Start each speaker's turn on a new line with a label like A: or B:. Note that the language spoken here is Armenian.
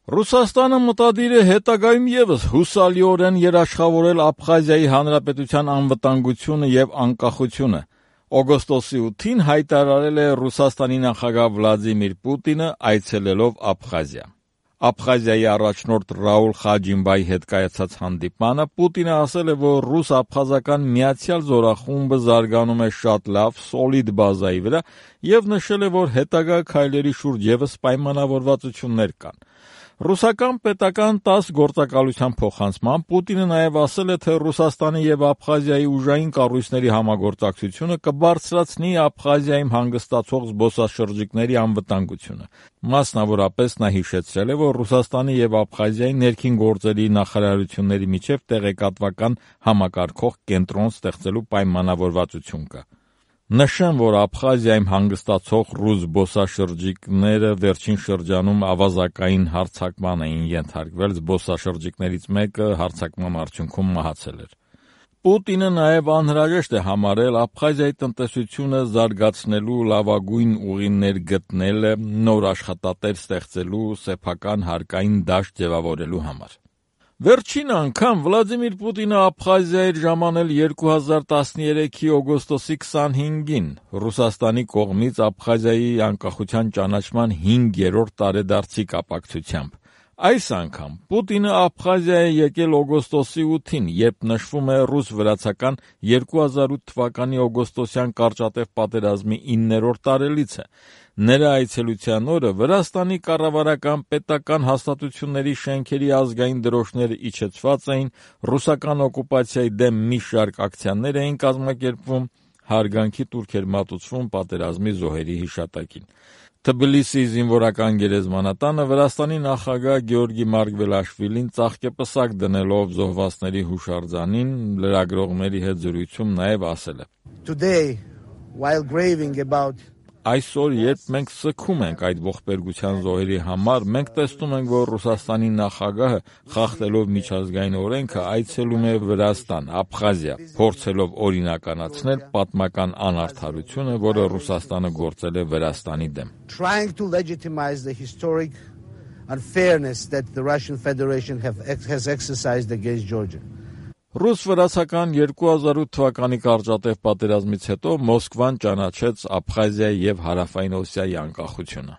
A: Ռուսաստանը մտադիր է հետագայում ևս հուսալիորեն երաշխավորել Աբխազիայի հանրապետության անվտանգությունը եւ անկախությունը։ Օգոստոսի 8-ին հայտարարել է Ռուսաստանի նախագահ Վլադիմիր Պուտինը այցելելով Աբխազիա։ Աբխազիայի առաջնորդ Ռաուլ Խաջիմբայի հետ կայացած հանդիպմանը Պուտինը ասել է, որ ռուս-աբխազական միացյալ զորախումբը զարգանում է շատ լավ, սոլիդ բազայի վրա եւ նշել է, որ հետագա քայլերի շուրջ ևս պայմանավորվածություններ կան։ Ռուսական պետական 10 գործակալության փոխանցմամբ Պուտինը նաև ասել է, թե Ռուսաստանի եւ Աբխազիայի ուժային կառույցների համագործակցությունը կբարձրացնի Աբխազիայում հանգստացող զբոսաշրջիկների անվտանգությունը։ Մասնավորապես նա հիշեցրել է, որ Ռուսաստանի եւ Աբխազիայի ներքին գործերի նախարարությունների միջև տեղեկատվական համակարգող կենտրոն ստեղծելու պայմանավորվածություն կա։ Նշեմ, որ Աբխազիայում հանգստացող ռուս զբոսաշրջիկները վերջին շրջանում ավազակային հարձակման էին ենթարկվել, զբոսաշրջիկներից մեկը հարձակման արդյունքում մահացել էր։ Պուտինը նաև անհրաժեշտ է համարել Աբխազիայի տնտեսությունը զարգացնելու լավագույն ուղիներ գտնելը, նոր աշխատատեղ ստեղծելու, սեփական հարկային դաշտ ձևավորելու համար։ Վերջին անգամ Վլադիմիր Պուտինը Աբխազիա էր ժամանել 2013-ի օգոստոսի 25-ին Ռուսաստանի կողմից Աբխազիայի անկախության ճանաչման 5-րդ տարեդարձի կապակցությամբ։ Այս անգամ Պուտինը Աբխազիա է եկել օգոստոսի 8-ին, երբ նշվում է ռուս-վրացական 2008 թվականի օգոստոսյան կարճատև պատերազմի 9-րդ տարելիցը։ Նրա այցելության օրը Վրաստանի կառավարական պետական հաստատությունների շենքերի ազգային դրոշները իջեցված էին, ռուսական օկուպացիայի դեմ մի շարք ակցիաներ էին կազմակերպվում, հարգանքի տուրք էր մատուցվում պատերազմի զոհերի հիշատակին։ Թբիլիսիի զինվորական գերեզմանատանը Վրաստանի նախագահ Գեորգի Մարգվելաշվիլին ծաղկեպսակ դնելով զոհվածների հուշարձանին լրագրողների հետ զրույցում նաև ասել է.
B: Today, while grieving about
A: Այսօր, երբ մենք սգում ենք այդ ողբերգության զոհերի համար, մենք տեսնում ենք, որ Ռուսաստանի նախագահը, խախտելով միջազգային օրենքը, այցելում է Վրաստան, Աբխազիա, փորձելով օրինականացնել պատմական անարդարությունը, որը Ռուսաստանը գործել է Վրաստանի դեմ։
B: Trying to legitimize the historic unfairness that the Russian Federation has exercised against Georgia.
A: Ռուս-վրացական 2008 թվականի կարճատև պատերազմից հետո Մոսկվան ճանաչեց Աբխազիայի եւ Հարավային Օսիայի անկախությունը։